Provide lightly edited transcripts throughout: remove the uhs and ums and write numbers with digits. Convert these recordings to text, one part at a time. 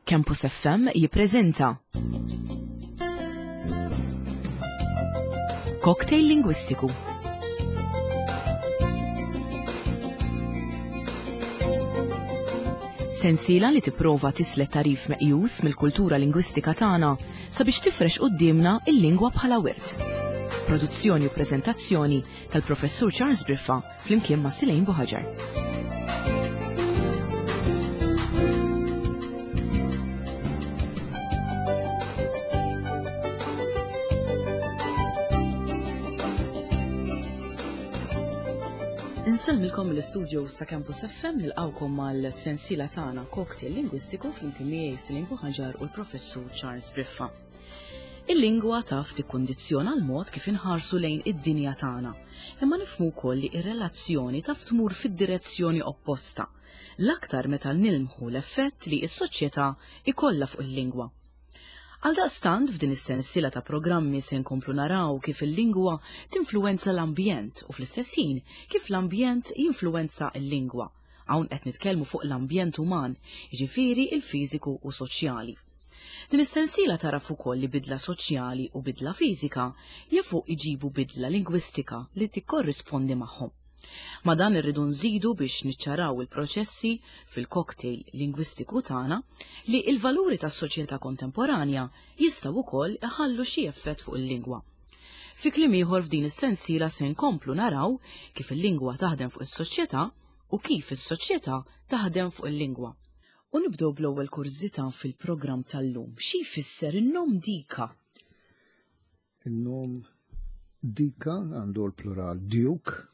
Campus FM jippreżenta Cocktail Lingwistiku. Sensiela li tipprova tislet tarif meqjus mill-kultura lingwistika tagħna sabiex tifrex quddiemna il-lingwa bħala wirt. Produzzjoni u preżentazzjoni tal-Professur Charles Briffa flimkien ma' Silejn Buħaġar. Insellmilkom mill-istudio sa' Campus FM nilqawkom mal-sensiela tagħna Cocktail Lingwistiku flimkien miegħi Silejn Buħaġar u l-Professur Charles Briffa. Il-lingwa taf tikkundizzjona l-mod kif inħarsu lejn id-dinja tagħna, imma nifhmu wkoll li r-relazzjoni taf tmur fid-direzzjoni opposta, l-aktar meta nilmħu l-effett li s-soċjetà jkollha fuq il-lingwa. Għaldaqstant f'din is-sensiela ta' programmi se nkomplu naraw kif il-lingwa tinfluwenza l-ambjent u fl-istess ħin kif l-ambjent jinfluwenza l-lingwa. Hawn qed nitkellmu fuq l-ambjent uman, jiġifieri l-fiżiku u soċjali. Din is-sensiela tagħraf ukoll li bidla soċjali u bidla fiżika jafu jġibu bidla lingwistika li tikkorrispondi magħhom. Ma' dan irridu nżidu biex niċċaraw il-proċessi fil-cocktail lingwistiku tagħna li l-valuri tas-soċjetà kontemporanja jistgħu wkoll iħallu xi effett fuq il-lingwa. Fi kliem ieħor f'din is-sensiela se nkomplu naraw kif il-lingwa taħdem fuq is-soċjetà u kif is-soċjetà taħdem fuq il-lingwa. U nibdew bl-ewwel kurżità fil-programm tal-lum. Xi jfisser in-nom Dika? In-nom Dika għandu l-plural Duke,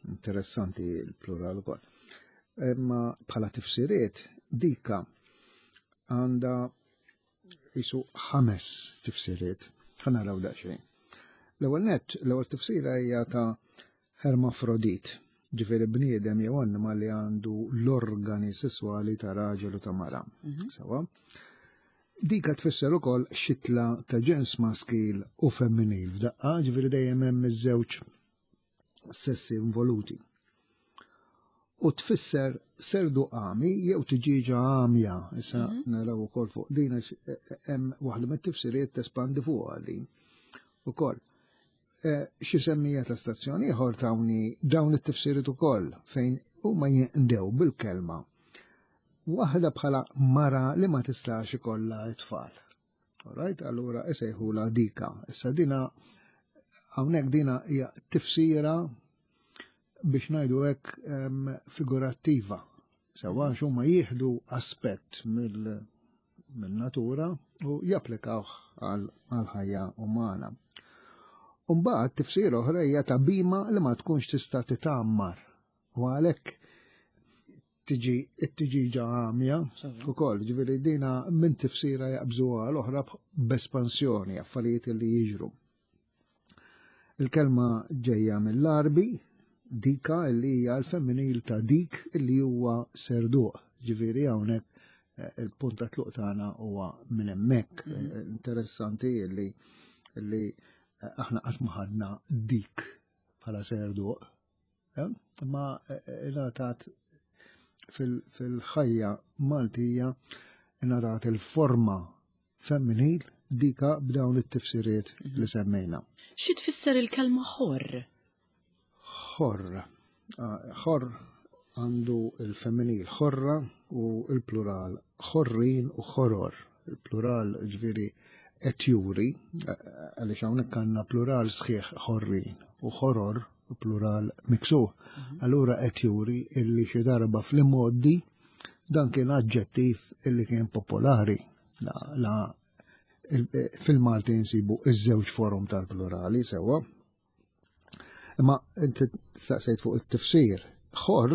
interessanti l-plural ukoll. Imma bħala tifsiriet Dika għandha jisu ħames tifsiriet. Ħa naraw daqsxejn. L-ewwel nett, l-ewwel tifsira hija ta' hermafrodit, ġifieri bniedem jew annimal li għandu l-organi sesswali ta' raġel u ta' mara. Mhm. Sewa. Dika tfisser ukoll xitla ta' ġens maskil u femminil f'daqqa, ġifieri dejjem hemm iż-żewġ sessi involuti. U tfisser serdu għami jew tiġiġa għamja, issa mhm. naraw ukoll fuq din għax eh, eh, hemm waħda mit-tifsiriet tespandi fuqha din. Ukoll. Eh, xi semmija ta' stazzjon ieħor tawni dawn it-tifsiriet ukoll fejn huma jinqdew bil-kelma waħda bħala mara li ma tistax ikollha t-tfal. Alright, allura isejħula dika. Issa dina hawnhekk dina hija tifsira biex ngħidu hekk figurattiva. Sewa għax huma jieħdu aspett mill-natura u japplikawh għal-ħajja umana. Umbagħad tifsira oħra hija ta' bima li ma tkunx tista' titgħammar. U għalhekk tiġi it-tiġiġa għamja ukoll, ġifieri dina minn tifsira jaqbżu għal oħra b'espansjoni, affarijiet li jiġru. Il-kelma ġejja mill-Arbi, dika li hija l-femminil ta' dik li huwa serduq. Ġifieri hawnhekk eh, il-punt ta' tluq tagħna huwa minn hemmhekk. Mhm. Eh, interessanti li li eh, aħna qatt ma ħadna dik bħala serduq. Imma ingħatat fil-ħajja Maltija ingħatat il-forma femminil dika b'dawn it-tifsiriet mhm. li semmejna. Xi tfisser il-kelma ħorr? Ħorr. Ah, ħorr għandu il-femminil ħorra u il-plural ħorrin u ħoror. Il-plural ġviri qed juri, għaliex hawnhekk għandna plural sħiħ ħorrin u ħoror plural miksur. Mhm. Allura qed juri illi xi darba fl-imgħoddi dan kien aġġettiv illi kien popolari. La, la fil-Malti nsibu iż-żewġ forum tal-plurali sewwa. Imma inti staqsejt fuq it-tifsir. Ħor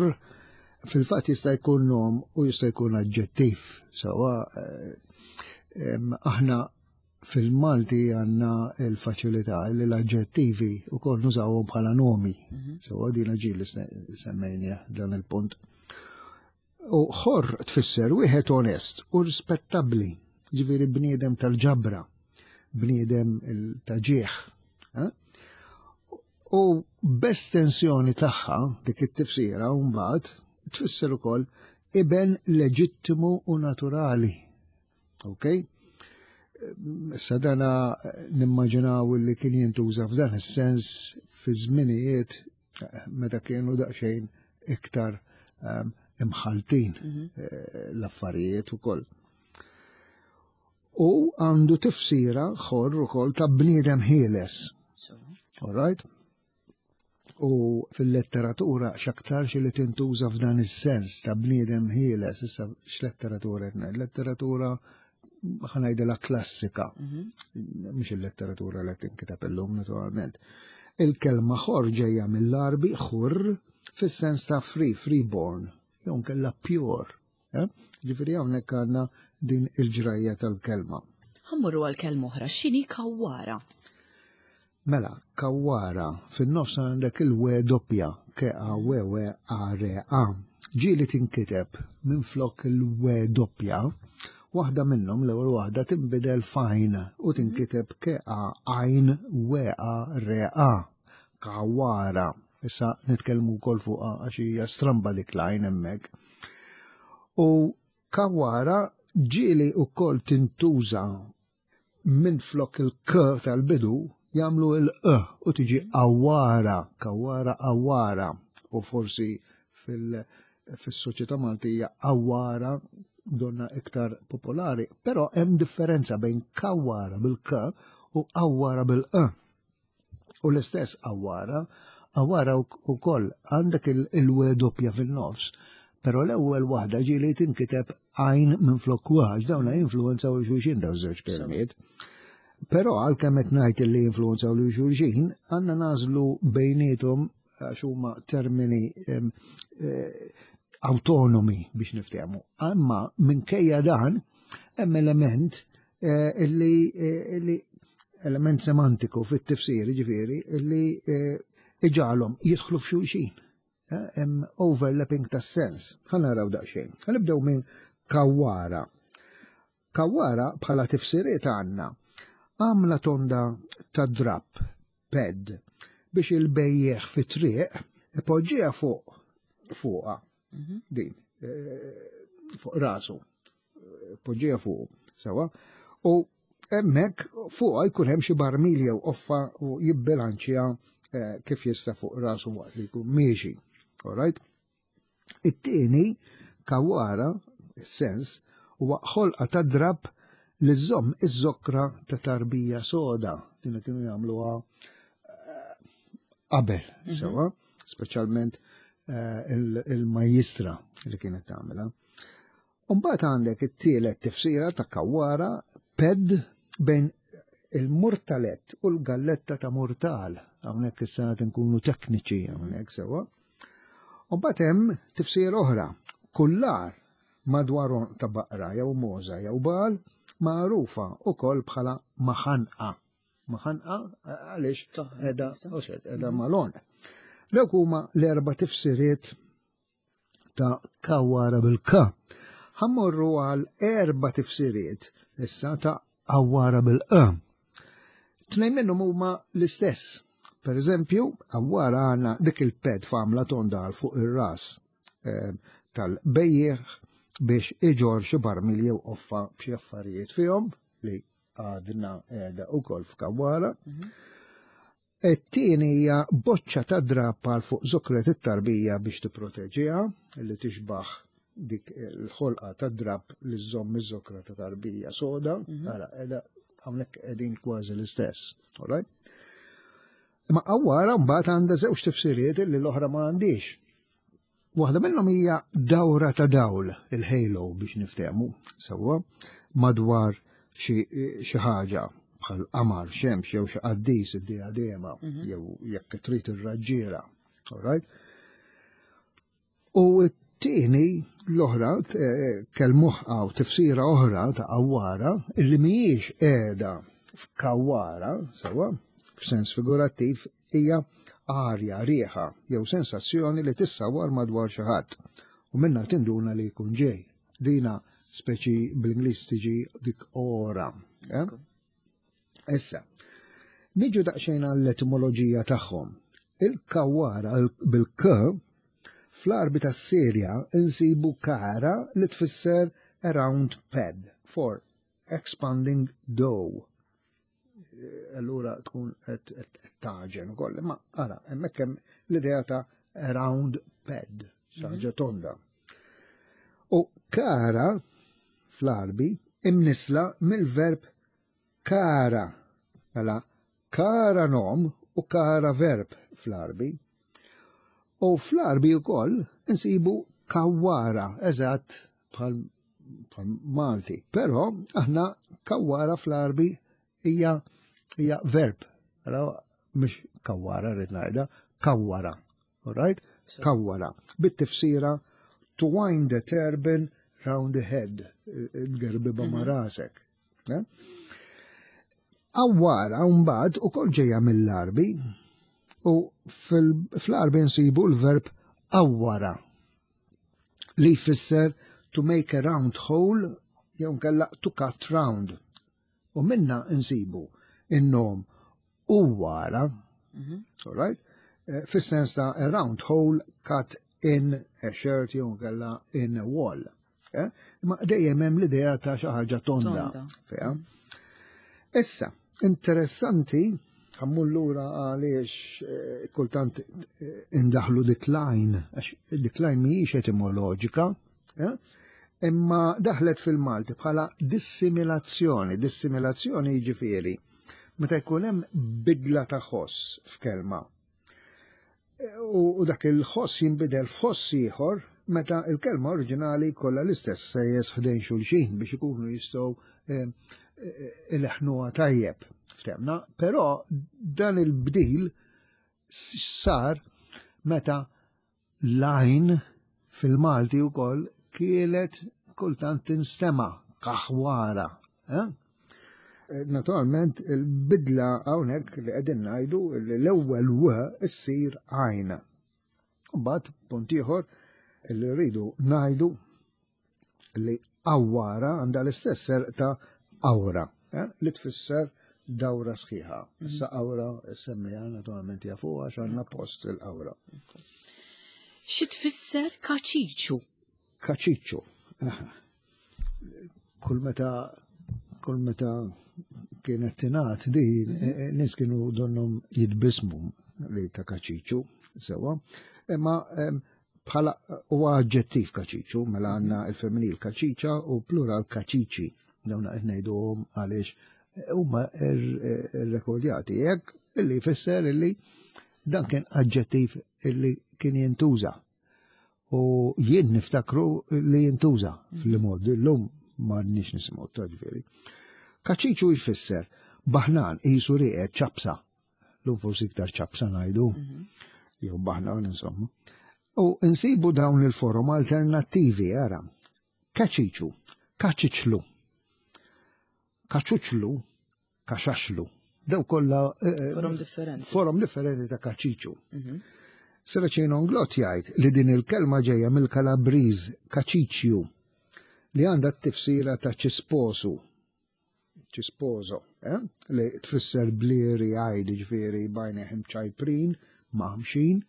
fil-fatt jista' jkun nom u jista' jkun aġġettiv. Sewwa eh, aħna fil-Malti għandna l-faċilità li l-aġġettivi wkoll nużawhom bħala nomi. Mhm. Sewwa din ġieli semmejnieh dan il-punt. U ħor tfisser wieħed onest u rispettabbli, ġifieri bniedem tal-ġabra, bniedem ta' ġieħ. Eh? U b'estensjoni tagħha dik it-tifsira mbagħad tfisser ukoll iben leġittimu u naturali. Ok? Issa dana nimmaġinaw li kien jintuża f'dan is-sens fi żminijiet meta kienu daqsxejn iktar imħaltin l-affarijiet ukoll. U għandu tifsira ħor ukoll ta' bniedem ħieles. All right? U fil-letteratura x'aktarx li tintuża f'dan is-sens ta' bniedem ħieles, issa x'letteratura qed ngħid? Letteratura ħa ngħidilha klassika, mhux il-letteratura li tinkiteb illum naturalment. Il-kelma ħor ġejja mill-Għarbi ħur fis-sens ta' free, freeborn, jew nkella pure. Eh? Ġifieri hawnhekk għandna din il-ġrajja tal-kelma. Ħa mmorru għal kelma oħra, x'inhi kawwara? Mela, kawwara, fin-nofs għandek il-w doppja, k a w w a r a. Ġieli tinkiteb minflok il-w doppja, waħda minnhom l-ewwel waħda tinbidel f'għajn u tinkiteb k a għajn w a r a. Kawwara. Issa nitkellmu wkoll fuqha għax hija stramba dik l-għajn hemmhekk. U kawwara ġieli wkoll tintuża minflok il-k tal-bidu jagħmlu il-q u tiġi awara, kawara awara u forsi fil-soċjetà Maltija awara donna iktar popolari, però hemm differenza bejn kawara bil-k u awara bil-q. U l-istess awara, awara wkoll għandek il-w doppja fin-nofs, però l-ewwel waħda ġieli tinkiteb għajn minflok w, għax dawn jinfluwenzaw lil xulxin dawn żewġ kelmiet. Però għalkemm qed ngħid li jinfluwenzaw lil xulxin, għandna nagħżlu bejniethom għax huma termini eh, autonomi biex niftehmu. Imma minkejja dan hemm element eh, illi eh, illi element semantiku fit-tifsir, ġifieri, illi eh, iġagħalhom jidħlu f'xulxin. Hemm overlapping tas-sens. Ħa naraw daqsxejn. Ħa nibdew minn kawwara. Kawwara bħala tifsiriet għandna għamla tonda ta' drapp, pad, biex il-bejjeħ fit-triq ipoġġiha fuq fuqha din fuq rasu poġġija fuq sewa u hemmhekk fuqha jkun hemm xi barmil jew qoffa u jibbilanċja eh, kif jista' fuq rasu waqt li jkun miexi. All right? It-tieni kawara, sens, huwa ħolqa ta' drab li żomm iż-żokra ta' tarbija soda din kienu jagħmluha eh, qabel, sewa, speċjalment eh, il-majjistra li kienet tagħmilha. Umbagħad għandek it-tielet tifsira ta' kawwara ped bejn il-murtalett u l-galletta ta' murtal. Hawnhekk issa qed inkunu tekniċi hawnhekk sewwa. Umbagħad hemm tifsira oħra, kullar madwar għonq ta' baqra jew mogħża jew bagħal magħrufa wkoll bħala maħanqa. Maħanqa għaliex qiegħda qiegħda mal-għonq. Dawk huma l-erba' tifsiriet ta' kawara bil-k. Ħammorru għal erba tifsiriet issa ta' awara bil-q. Tnejn minnhom huma l-istess. Per eżempju, awara għandna dik il-ped f'għamla tonda għal fuq ir-ras eh, tal-bejjeħ biex iġor xi barmil jew qoffa b'xi affarijiet fihom li għadna qiegħda wkoll f'kawara. It-tieni hija boċċa ta' drapp għal fuq żokret it-tarbija biex tipproteġiha, li tixbah dik il-ħolqa ta' drapp li żżomm iż-żokra ta' tarbija soda, mhm. ara qiegħda hawnhekk qegħdin kważi l-istess. All right? Imma qawwara mbagħad għandha żewġ tifsiriet li l-oħra ma għandix. Waħda minnhom hija dawra ta' dawl, il-halo biex niftehmu sewwa, madwar xi ħaġa bħal qamar, xemx jew xi qaddis id-diadema mhm. jew jekk trid ir-raġġiera. All right? U t-tieni l-oħra eh, kelmuħqa u tifsira oħra ta' awara illi mhijiex qiegħda f'kawwara sewwa f'sens figurattiv hija arja, riħa jew sensazzjoni li tissawwar madwar xi ħadd u minnha tinduna li jkun ġej. Dina speċi bl-Ingliż tiġi dik ora. Eh? Issa, niġu daqsxejn għall-etimoloġija tagħhom. Il-kawwara bil-k fl-Għarbi tas-Sirja insibu kara li tfisser a round pad for. expanding dough. Allura tkun qed taġen ukoll. Imma ara, hemmhekk hemm l-idea ta' round pad, ħaġa mhm. tonda. U kara fl-Arbi imnisla mill-verb kara. Mela kara nom u kara verb fl-Arbi. U fl-Arbi wkoll insibu kawwara, eżatt bħal Malti. Però aħna kawwara fl-Arbi hija hija verb. Ara mhux kawwara rrid ngħidha, kawwara. All right? Kawwara. Bit-tifsira to wind the turban round the head, tgerbiba ma' mhm. rasek. Eh? Awwara mbagħad ukoll ġejja mill-Arbi u fl-Arbi nsibu l-verb awwara li jfisser to make a round hole jew nkella to cut round. U minna nsibu in-nom uwara, mhm. all right? Eh, fis-sens ta' a round hole cut in a shirt jew nkella in a wall. Eh? Ma dejjem hemm l-idea ta' xi ħaġa tonda. Fiha. Issa, interessanti, ħammur lura għaliex eh, kultant eh, indaħlu decline, għax decline mhijiex etimoloġika, eh? imma daħlet fil-Malti bħala dissimilazzjoni. Dissimilazzjoni jiġifieri meta jkun hemm bidla ta' ħoss f'kelma. U dak il-ħoss jinbidel f'ħoss ieħor meta il-kelma oriġinali kollha l-istess sejjes ħdejn xulxin biex ikunu jistgħu eh, eh, ileħnuha tajjeb. Ftemna, però dan il-bdil sar meta l-għajn fil-Malti wkoll kienet kultant tinstema' kaħwara. Eh? eh naturalment il-bidla hawnhekk li qegħdin ngħidu li l-ewwel w issir għajn. Mbagħad punt ieħor li rridu ngħidu li awwara għandha l-istess serq ta' awra, eh, li tfisser dawra sħiħa. Mhm. Issa awra semmija naturalment jafu għax għandna post il-awra. Xi tfisser kaċiċu? Kaċiċu. Kull meta kull meta kienet tingħad din mhm. eh, eh, nies kienu donhom jitbismu li ta' kaċiċu sewa. Imma bħala huwa aġġettiv kaċiċu, mela għandna il-femminil kaċiċa u plural kaċiċi. Dawn qed ngħiduhom għaliex huma rrekordjati hekk illi jfisser illi dan kien aġġettiv illi kien jintuża. U jien niftakru li jintuża fil-mod, illum ma nix nisimgħu ta' ġifieri. Kaċiċu jfisser baħnan qisu rieqed ċapsa Lum forsi iktar ċapsa ngħidu, mhm. jew baħna insomma. U nsibu dawn il-forum alternattivi, ara. Kaċiċu, kaċiċlu, kaċuċlu, kaxaxlu. Daw kollha eh, eh, forum differenti. Forum differenti ta' kaċiċu. Mhm. Seraċin Onglot jgħid li din il-kelma ġejja mill-Kalabriż kaċiċju li għandha t-tifsira ta' ċisposu ċisposo, eh? li tfisser blieri għajd ġifieri bajneħ imċajprin, maħmxin,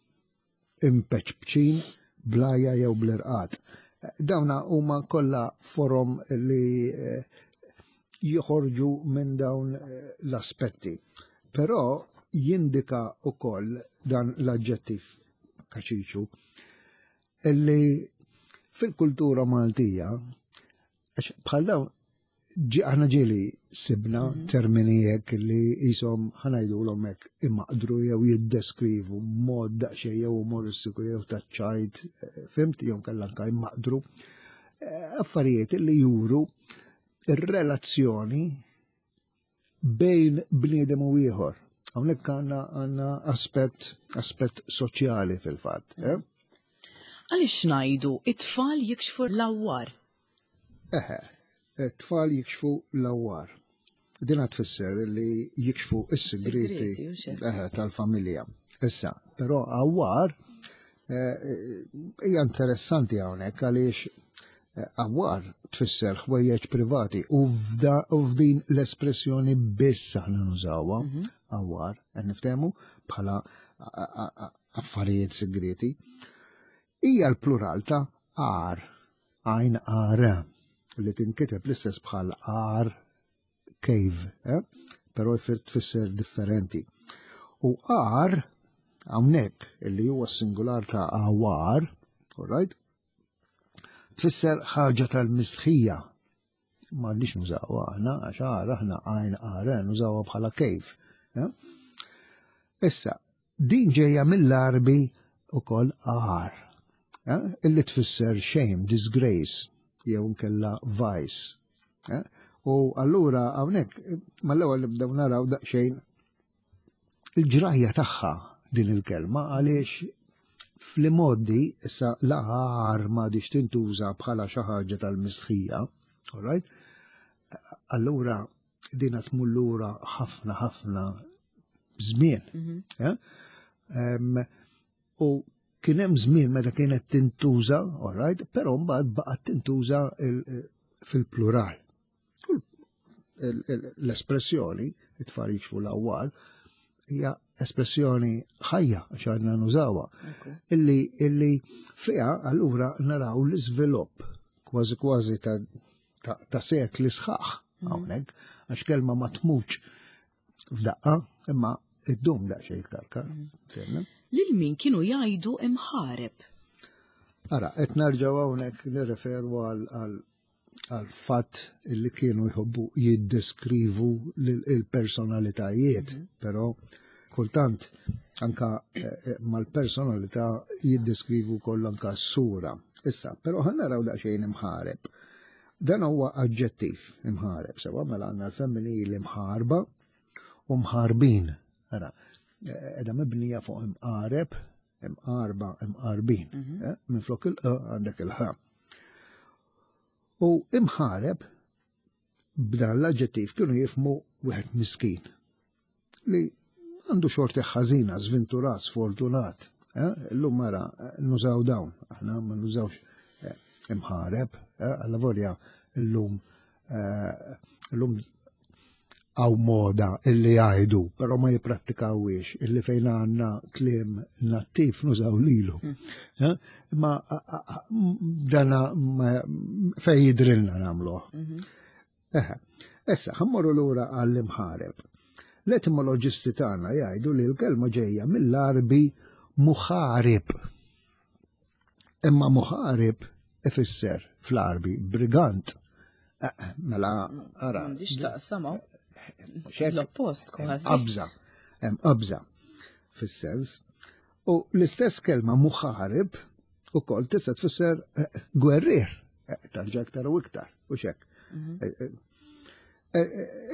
impeċpċin, blaja jew bl-irqat. Dawna huma kollha forom li eh, joħorġu minn dawn eh, l-aspetti. Però jindika ukoll dan l-aġġettiv kaċiċu illi fil-kultura Maltija Għax bħal dawn aħna ġieli sibna mhm. termini hekk li jisom ħanajdulhom hekk imaqdru jew jiddeskrivu mod daqsxejn jew umoristiku jew taċ-ċajt, eh, fimt jew kellha anke imaqdru. Eh, affarijiet li juru ir-relazzjoni bejn bniedem u ieħor. Hawnhekk għandna għandna aspett aspett soċjali fil-fatt. Eh? Għaliex ngħidu it-tfal jikxfu l-awwar? Eħe, it-tfal jikxfu l-awwar. Din tfisser li jikxfu is-sigriti tal-familja. Issa, però awwar eh, hija interessanti hawnhekk għaliex Awar tfisser ħwejjeġ privati u f'din l-espressjoni biss aħna nużawha mhm. awar, qed niftehmu bħala affarijiet segreti. Hija l-plural ta' ar, għajn ar, li tinkiteb l-istess bħal ar cave, eh? Però tfisser differenti. U għar, hawnhekk illi huwa singular ta' għawar, all right? Tfisser ħaġa tal-mistħija. Ma għandix nużawha aħna, għax għar aħna għajn għar, eh, nużawha bħala cave. Eh? Issa, din ġejja mill-Arbi ukoll għar, eh? Illi tfisser shame, disgrace, jew nkella vice. U allura hawnhekk mal-ewwel nibdew naraw daqsxejn il-ġrajja tagħha din il-kelma għaliex fl-imoddi issa l-għar m'għadix tintuża bħala xi ħaġa tal-mistħija, all right? Allura dina tmur lura ħafna ħafna żmien. Eh? U kien hemm żmien meta kienet tintuża, all right, però mbagħad baqgħet tintuża fil-plural. L-espressjoni, it-tfal jikxfu l-awwal, hija espressjoni ħajja għax għadna nużawha. Illi illi fiha allura naraw l-iżvilupp kważi kważi ta', ta, ta sekli sħaħ mhm. hawnhekk, għax kelma ma tmutx f'daqqa, imma id-dum daqsxejn iktar. Mhm. Lil min kienu jgħidu imħareb? Ara, qed nerġgħu hawnhekk nirreferu għal għal fatt li kienu jħobbu jiddeskrivu il-personalitajiet, mhm. però kultant anka eh, eh, mal-personalità jiddeskrivu koll anka s-sura. Issa, però ħan naraw daqsxejn imħareb. Dan huwa aġġettiv imħareb, sewa mela għandna l-femminili mħarba u mħarbin. Ara, eh, edha mibnija fuq imqareb, imqarba, imqarbin. Mhm. Minn flok il għandek il-ħa. U imħareb b'dan l-aġġettiv kienu jifmu wieħed miskin li għandu xorti ħażina, żventurat, sfortunat. Eh? Illum mara eh, nużaw dawn, aħna ma nużawx eh, imħareb, alla volja illum illum għaw moda illi jgħidu, pero ma jiprattikawiex, illi fejn għanna kliem nattiv nużaw lilu. Hmm. Eh? Ma dana fej jidrilna namluħ. Mhm. Eħe, issa, ħammorru lura għall-imħareb. L-etimoloġisti tagħna jgħidu li l-kelma ġejja mill-Arbi muħarib. Imma muħarib ifisser fl-Arbi brigant. Eh, eh, mela, ara. M'għandix taqsam L-oppost kważi. Qabża, hemm qabża fis-sens. U l-istess kelma muħarib ukoll tista' tfisser eh, gwerrier, tarġa iktar u iktar, u xek. Mhm.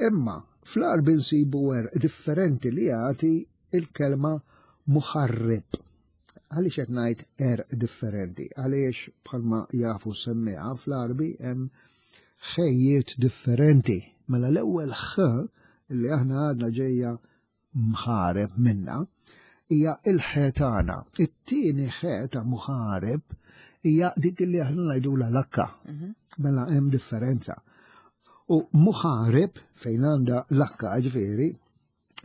Imma fl-Arbi nsibu differenti li jagħti il-kelma muħarrib. Għaliex qed ngħid għerq differenti? Għaliex bħalma jafu semmiha fl-Għarbi hemm ħejjiet differenti. Mela l-ewwel ħ li aħna għadna ġejja mħareb minna hija il-ħe tagħna. It-tieni ħe ta' muħareb hija dik li aħna ngħidulha lakka. Mhm. Mela hemm differenza. U muħareb fejn għandha lakka ġifieri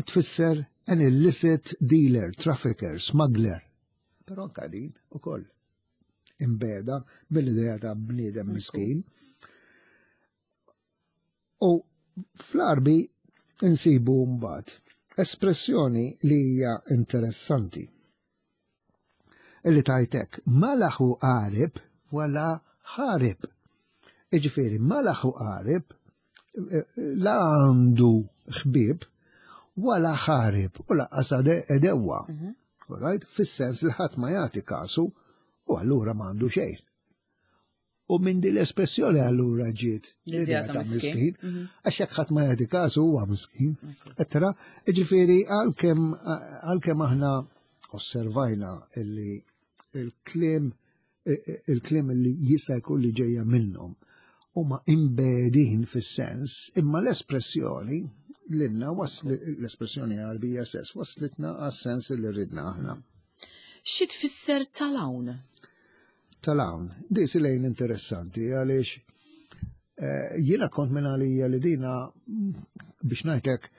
tfisser an illicit dealer, trafficker, smuggler. Però anka din ukoll imbeda mill-idea ta' bniedem miskin. U fl-Arbi insibu mbagħad espressjoni li hija interessanti. Illi tajtek ma laħu qarib wala ħarib. Iġifieri ma laħu qarib la għandu ħbieb wala ħarib u laqqas edewwa. Mhm. Right? Fis-sens li ħadd ma jagħti kasu u allura ma għandu xejn. U minn din l-espressjoni allura ġiet l-idea ta' miskin. Mhm. Għax jekk ħadd ma jagħti kasu huwa miskin. Ettra, ġifieri għalkemm għalkemm aħna osservajna illi il-kliem il-kliem li jista' jkun li ġejja minnhom huma imbedin fis-sens, imma l-espressjoni lilna l-espressjoni Għarbija stess waslitna għas-sens li ridna aħna. Xi tfisser tal-hawn? Tal-hawn, di lejn interessanti għaliex eh, jiena kont minn għalija li dina biex ngħidlek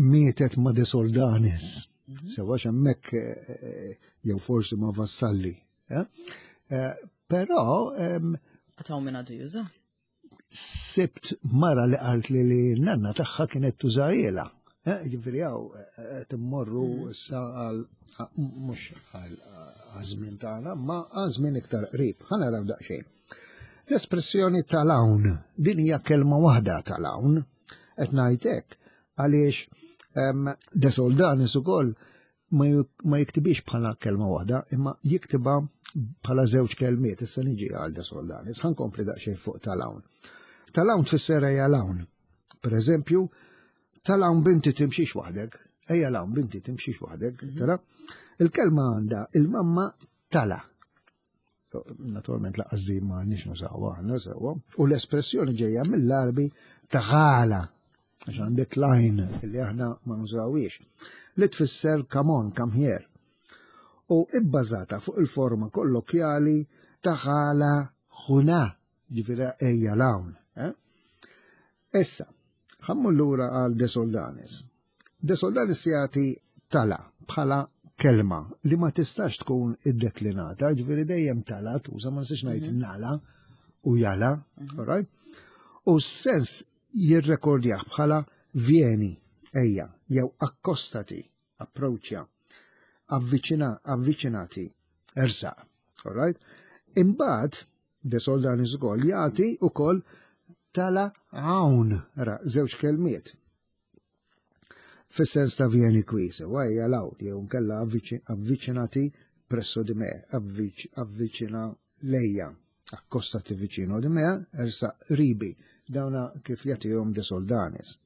mietet ma' De Soldanis. Mhm. Sewa hemmhekk eh, eh, jew forsi ma' Vassalli. Eh? Però Għataw minn għadu juża? Sibt mara li qalt li li nanna tagħha kienet tużajela. Eh, ġifieri hawn eh, qed immorru mm. issa għal mhux għal żmien tagħna, ma għal żmien iktar qrib. Ħa naraw daqsxejn. L-espressjoni tal-hawn, din hija kelma waħda tal-hawn, qed ngħid hekk għaliex De Soldanis ukoll ma jiktibix bħala kelma waħda, imma jiktibha bħala żewġ kelmiet, issa niġi għal De Soldanis, ħa nkompli daqsxejn fuq tal-hawn. Tal-hawn tfisser ejja l-hawn. Per eżempju, tal-hawn binti timxix waħdek, ejja l-hawn binti timxix waħdek, mhm. tara? Il-kelma għandha il-mamma tala. Naturalment laqqas din ma nix nużawha aħna sewwa. U l-espressjoni ġejja mill-Arbi taħala għax għandek lajn li aħna ma nużawiex, li tfisser come on, come here. U ibbażata fuq il-forma kollokjali taħala ħuna, ġifieri ejja l-hawn. Eh? Issa, ħammu lura għal De Soldanis. De Soldanis jagħti tala bħala kelma li ma tistax tkun iddeklinata, ġifieri dejjem tala tuża ma nistax ngħid mhm. nala u jala, mhm. right? U s-sens jirrekordjah bħala vieni, ejja, jew akkostati, approachja, avviċina, avviċinati, ersaq. All right? Imbagħad De Soldanis ukoll jagħti ukoll tala hawn, ra, żewġ kelmiet. Fis-sens ta' vieni qui, sewa hija l-hawn, jew nkella avviċinati presso di me, avviċina lejja, accostati vicino di me, ersa ribi, dawna kif jagħtihom De Soldanis.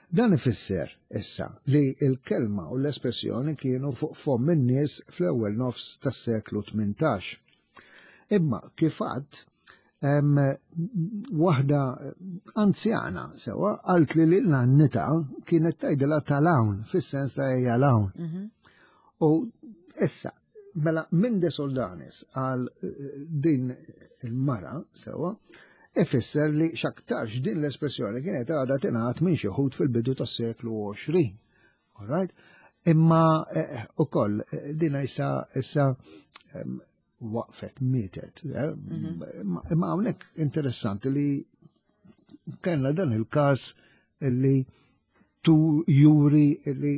Dan ifisser, issa, li l-kelma u l-espressjoni kienu fuq fomm in-nies fl-ewwel nofs tas-seklu 18. Imma kif għadt, waħda anzjana sewa qalt li lil nannita kienet tgħidilha tal-hawn fis-sens ta' ejja l-hawn. Mhm. U issa, mela minn De Soldanis għal eh, din il-mara sewa, ifisser li x'aktarx din l-espressjoni kienet għadha tingħad minn xi wħud fil-bidu tas-seklu 20. All right? Imma eh, ukoll eh, dina issa issa waqfet, mietet. Eh? Mhm. Imma hawnhekk interessanti li kellna dan il-każ li tu juri li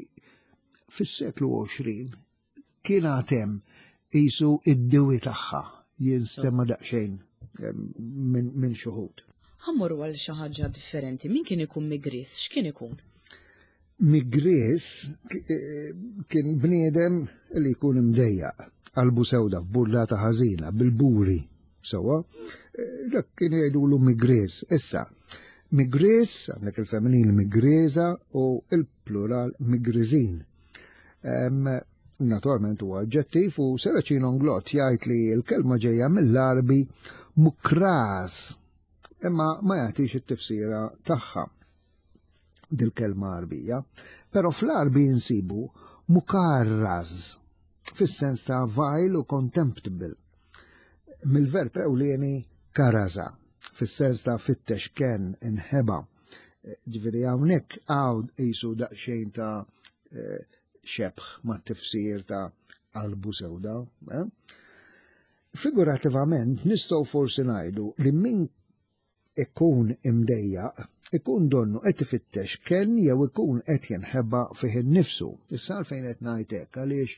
fis-seklu 20 kien għatem jisu id-diwi tagħha jinstema daqsxejn minn xuħud. Ħammorru għal xi ħaġa differenti. Min kien ikun migris? X'kien ikun? Migris eh, kien bniedem li jkun imdejjaq, qalbu sewda f'burlata ħażina, bil-buri, sewwa. Eh, dak kien jgħidulu migris. Issa, migris, għandek il-femminil migriża u il-plural migriżin. Naturalment huwa aġġettiv u Seracino Nglott jgħid li l-kelma ġejja mill-Arbi mukras imma ma jagħtix it-tifsira tagħha dil-kelma Arbija. Però fl-Arbi nsibu mukarraz fis-sens ta' vile u contemptible. Mill-verb ewlieni karaza fis-sens ta' fittex ken inħeba. Ġifieri hawnhekk hawn qisu daqsxejn ta' eh, xebħ ma' tifsir ta' qalbu sewda. Eh? Figurativament nistgħu forsi ngħidu li min ikun imdejjaq ikun donnu qed ifittex kenn jew ikun qed jinħeba fih innifsu. Issa għalfejn qed ngħid hekk għaliex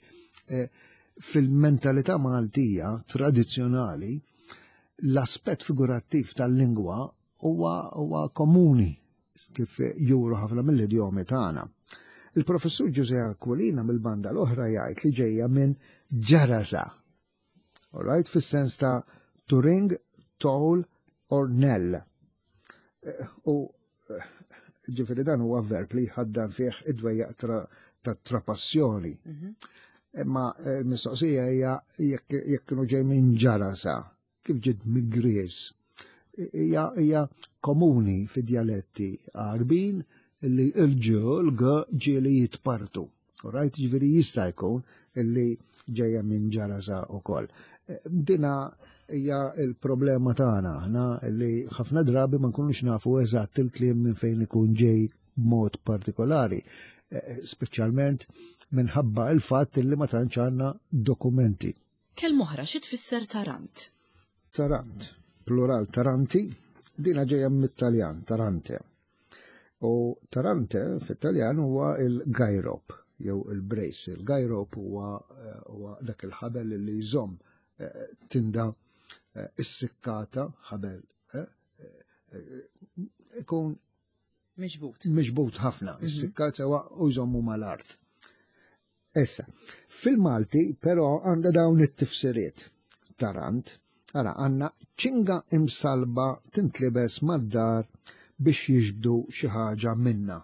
eh, fil-mentalità Maltija tradizzjonali l-aspett figurattiv tal-lingwa huwa huwa komuni kif juru ħafna mill-idjomi tagħna. Il-professur Ġuże Aquilina mill-banda l-oħra jgħid li ġejja minn ġarasa. All right, fis-sens ta' to ring, toll or knell. Eh, u eh, ġifieri dan huwa verb li jħaddan fih id-dwejjaq ta' trapassjoni. Mhm. Imma eh, l-mistoqsija hija jekk kienu ġej minn ġarasa, kif ġiet migriż. Hija komuni fi djaletti Għarbin li l-ġ, l-g ġieli jitpartu. Right, ġifieri jista' jkun li ġejja minn ġarasa wkoll. Dina hija l-problema tagħna aħna li ħafna drabi ma nkunux nafu eżatt il-kliem minn fejn ikun ġej b'mod partikolari, speċjalment minħabba il-fatt li ma tantx għandna dokumenti. Kelma oħra xi tfisser tarant? Tarant, plural taranti, Dina ġejja mit-Taljan, tarante. U tarante fit-Taljan huwa il-gajrop jew il-brace. Il-gajrop huwa eh, dak il-ħabel li jżomm eh, tinda eh, issikkata ħabel ikun Miġbut. Miġbut ħafna, mhm. issikkat sewa u jżommu mal-art. Issa, fil-Malti però għandha dawn it-tifsiriet tarant, ara għandna ċinga imsalba tintlibes mad-dar biex jiġbdu xi ħaġa minna.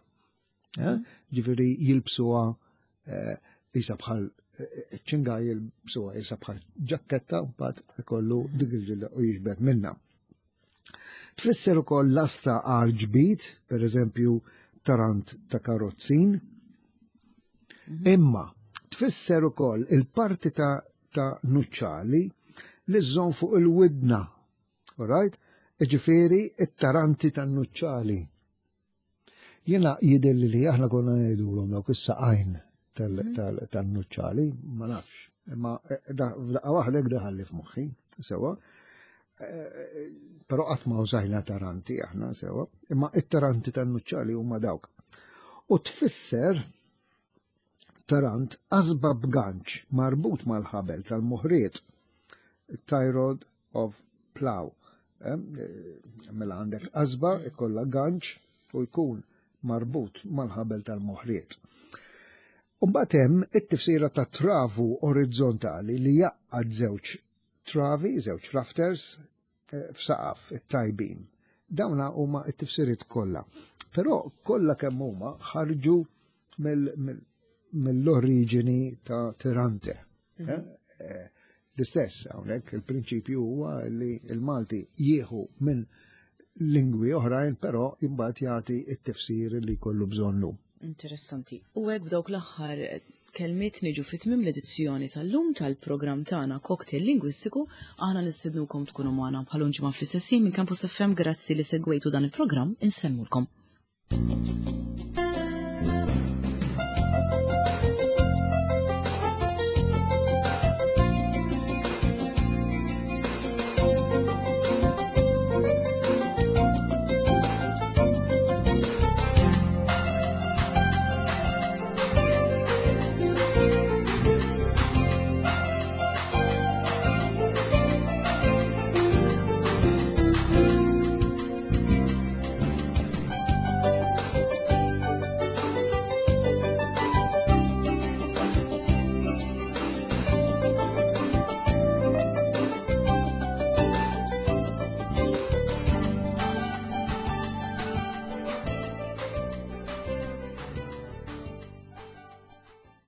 Eh? Ġifieri jilbsuha eh, isa bħal eh, ċinga jilbsuha isa bħal ġakketta mbagħad ikollu dik il-ġilda u jiġbed minna. Tfisser ukoll lasta għal ġbid, per eżempju tarant ta' karozzin. Mhm. Imma tfisser ukoll il-parti ta', ta nuċċali li żżomm fuq il-widna. Alright? Ġifieri it-taranti tan-nuċċali. Jiena jidhirli li aħna konna ngħidulhom dawk is-saqajn mhm. tan-nuċċali, ma nafx. Imma eh, f'daqqa waħda hekk daħalli f'moħħi, sewa. Eh, eh, però qatt ma użajna taranti aħna sewa, imma it-taranti tan-nuċċali huma dawk. U tfisser tarant qasba b'ganċ marbut mal-ħabel tal-muħriet, tie rod of plow. Eh, mela għandek qasba ikolla ganċ u jkun marbut mal-ħabel tal-moħriet. Umbagħad hemm it-tifsira ta' travu orizzontali li jaqgħad żewġ travi, żewġ rafters eh, f'saqaf it-tajbin. Dawna huma t-tifsiriet kollha. Però kollha kemm huma ħarġu mill-oriġini ta' Tirante. Mhm. Eh, eh, l-istess hawnhekk il-prinċipju huwa li l-Malti jieħu minn lingwi oħrajn, però imbagħad jagħti t-tifsir li jkollu bżonnu. Interessanti. U hekk b'dawk l-aħħar kelmiet niġu fi tmiem l-edizzjoni tal-lum tal-programm tagħna Cocktail Lingwistiku, aħna nistednukom tkunu magħna bħal ġimgħa fl-istess minn Campus FM grazzi li segwejtu dan il-programm insemmulkom.